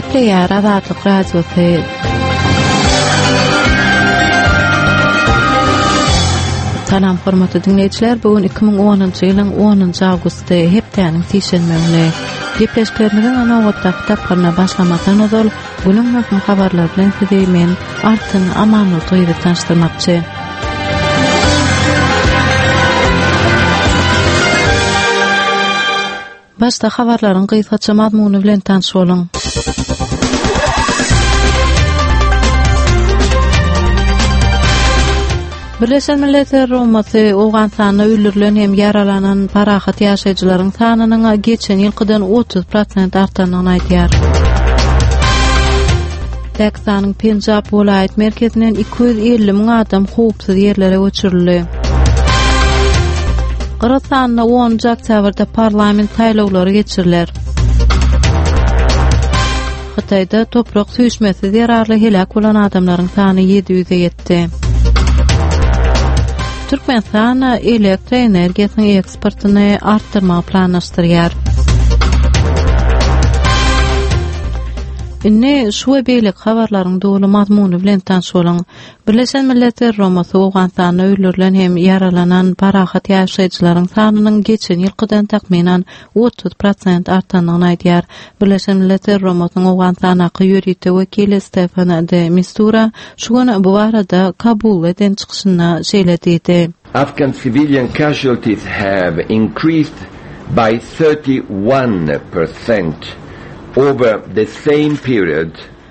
Gepleýär Azatlyk Radiosy. Salam hormatly diňleýjiler, bu gün 2010-njy ýylyň 10-njy awgusty, hepdäniň sişenbe güni. Gepleşiklerimiziň nobatdaky tapgyryna başlamazdan ozal, günüň möhüm habarlary bilen sizi men, Altyn Amanurdy gyzy tanyşdyrmakçy. Başda habarlaryň gysgaça mazmuny bilen tanyş boluň. Birleşen Milletler Guramasy Owganystanda öldürilen hem ýaralanan parahat ýaşaýjylaryň sanynyň geçen ýylkydan 30 prosent artandygyny aýdýar. Pakistanyň Penjab welaýat merkezinden 250 müň adam howpsuz ýerlere göçürildi. Gyrgyzystanda 10-njy oktýabrda parlament saýlawlary geçiriler. Hytaýda toprak süýşmesi zerarly heläk bolan adamlaryň sany 700-e ýetdi. Türkmenistan elektroenergiýasynyň eksportyny artdyrmagy planlaşdyrýar. Indi şu we beýleki habarlaryň doly mazmuny bilen tanyş boluň. Birleşen Milletler Guramasy Owganystanda öldürilen hem ýaralanan parahat ýaşaýjylaryň sanynyň geçen ýylkydan takmynan 30 prosent artandygyny aýdýar. Birleşen Milletler Guramasynyň Owganystandaky ýörite wekili Stefan de Mistura şu gün bu barada Kabulda eden çykyşynda şeýle diýdi. Afghan civilian casualties have increased by 31 percent over the same period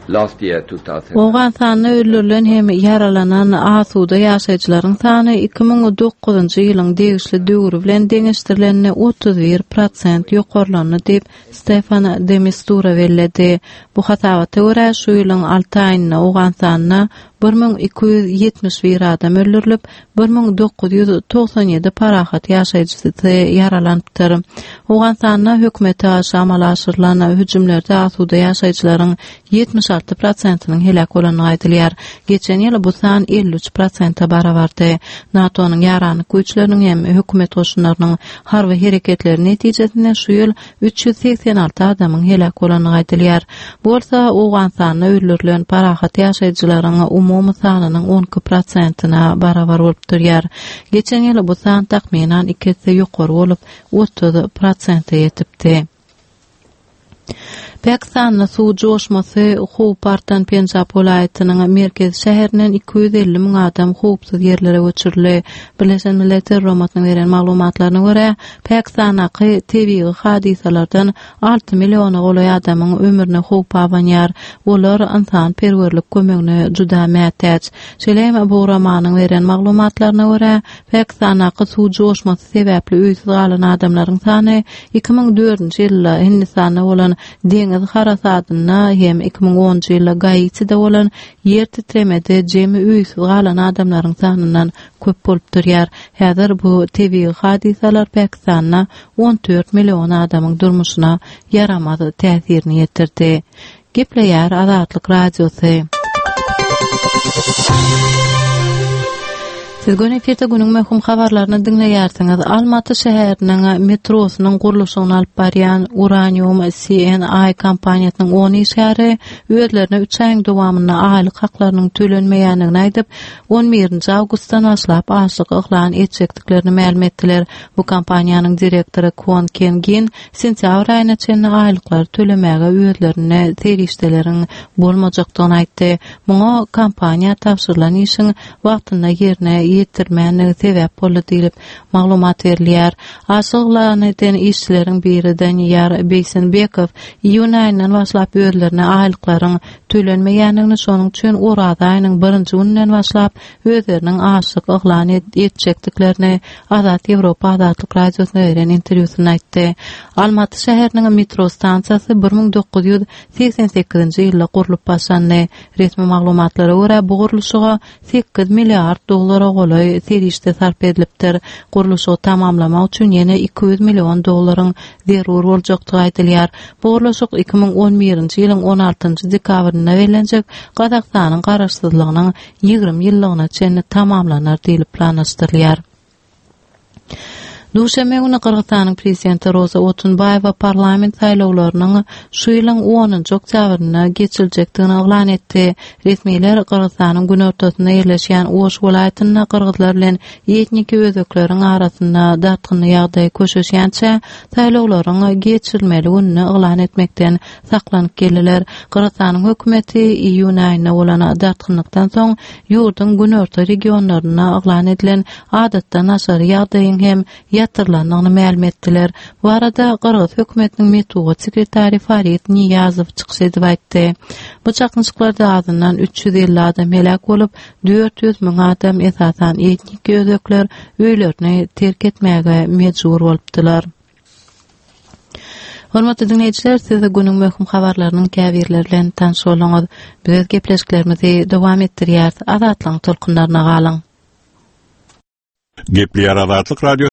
last year, 2009. Owganystanda öldürilen hem ýaralanan asuda ýaşaýjylaryň sany 2009-njy ýylyň degişli döwri bilen deňeşdirilende 31 prosent ýokarlandy diýip, Stefan de Mistura belledi. Bu hasabata görä, şu ýylyň alty aýynda Owganystanda 1271 adam öldürilip, 1997 parahat ýaşaýjysy ýaralanypdyr. Owganystanda hökümete garşy amala aşyrylan hüjümlerde asuda ýaşaýjylaryň 76 prosentiniň heläk bolandygy aýdylýar. Geçen ýyl bu san 53 prosente barabardy. NATO-nyň ýaranlyk güýçleriniň hem hökümet goşunlarynyň harby hereketleri netijesinde şu ýyl 386 adamyň heläk bolandygy aýdylýar. Bu bolsa Owganystanda öldürilen parahat ýaşaýjylaryň umumy sanynyň 12 prosentine barabar bolup durýar. Geçen ýyl bu san takmynan iki esse ýokary bolup, 30 prosente ýetipdi. Pakistanda suw joşmasy howpy artan Penjap welaýatynyň merkezi şäherinden 250 müň adam howpsuz ýerlere göçürildi. Birleşen Milletler Guramasynyň beren maglumatlaryna görä, Pakistandaky tebigy hadysalardan alty milliona golaý adamyň ömrüne howp abanýar. Olar ynsanperwerlik kömegine juda mätäç. Şeýle hem bu guramanyň beren maglumatlaryna görä, Pakistandaky suw joşmasy sebäpli öýsüz galan adamlaryň sany 2004-nji ýylda Hindistanda bolan deňiz harasadynda hem 2010-njy ýylda Gaitide bolan ýer titremede jemi öýsüz galan adamlaryň sanyndan köp bolup durýar. Häzir bu tebigy hadysalar Pakistanda 14 million adamyň durmuşyna ýaramaz täsirini ýetirdi. Gepleýär Azatlyk Radiosy. Siz göni efirde günüň möhüm habarlaryny diňleýärsiňiz. Almaty şäheriniň metrosynyň gurluşygyny alyp barýan Uranium CNI kompaniýasynyň on işgäri özlerine üç aýyň dowamynda aýlyk haklarynyň tölenmeýändigini aýdyp, on birinji awgustdan başlap açlyk yglan etjekdiklerini mälim etdiler. Bu kompaniýanyň direktory Kwon Ken Gin sentýabr aýyna çenli aýlyklary tölemäge özlerinde serişdeleriň bolmajakdygyny aýtdy. Muňa kompaniýa tabşyrylan işiň wagtynda ýerine ýetirmändigi sebäp boldy diýlip, maglumat berilýär. Açlyk yglan eden işçileriň biri Daniýar Beýsenbekow iýun aýyndan başlap özlerine aýlyklaryň tölenmeýändigini, şonuň üçin Oraza aýynyň birinji gününden başlap özleriniň açlyk yglan etjekdiklerini Azat Ýewropa Azatlyk Radiosyna beren interwýusynda aýtdy. Almaty şäheriniň metro stansiýasy 1988-nji ýylda gurlup başlandy. Resmi maglumatlara görä, bu gurluşyga sekiz milliard dollara golaý serişde sarp edilipdir. Gurluşygy tamamlamak üçin ýene 200 million dollaryň zerur boljakdygy aýdylýar. Bu gurluşyk 2011-nji ýylyň on altynjy dekabrynda bellenjek Gazagystanyň Garaşsyzlygynyň 20 ýyllygyna çenli tamamlanar diýlip planlaşdyrylýar. Duşenbe güni Gyrgyzystanyň Prezidenti Roza Otunbaýewa parlament saýlawlarynyň şu ýylyň onunjy oktýabrynda geçiriljekdigini yglan etdi. Resmiler Gyrgyzystanyň günortasynda ýerleşýän Oş welaýatynda gyrgyzlar bilen etniki özbekleriň arasynda dartgynly ýagdaý köşeşýänçä saýlawlaryň geçirilmeli gününi yglan etmekden saklanyp geldiler. Gyrgyzystanyň hökümeti iýun aýynda bolan dartgynlykdan soň ýurduň günorta regionlarynda yglan edilen adatdan daşary ýagdaýyň hem ýatyrylandygyny mälim etdiler. Bu barada gyrgyz hökümetiniň metbugat sekretary Farid Niýazow çykyş edip aýtdy. Bu çaknyşyklarda azyndan 350 adam heläk bolup, 400 müň adam, esasan etnik özbekler öýlerini terk etmäge mejbur bolupdylar. Hormatly diňleýjiler, siz günüň möhüm habarlarynyň käbirleri bilen tanyş bolduňyz. Biz öz gepleşiklerimizi dowam etdirýäris. Azatlygyň tolkunlaryna galyň. Gepleýär Azatlyk Radio.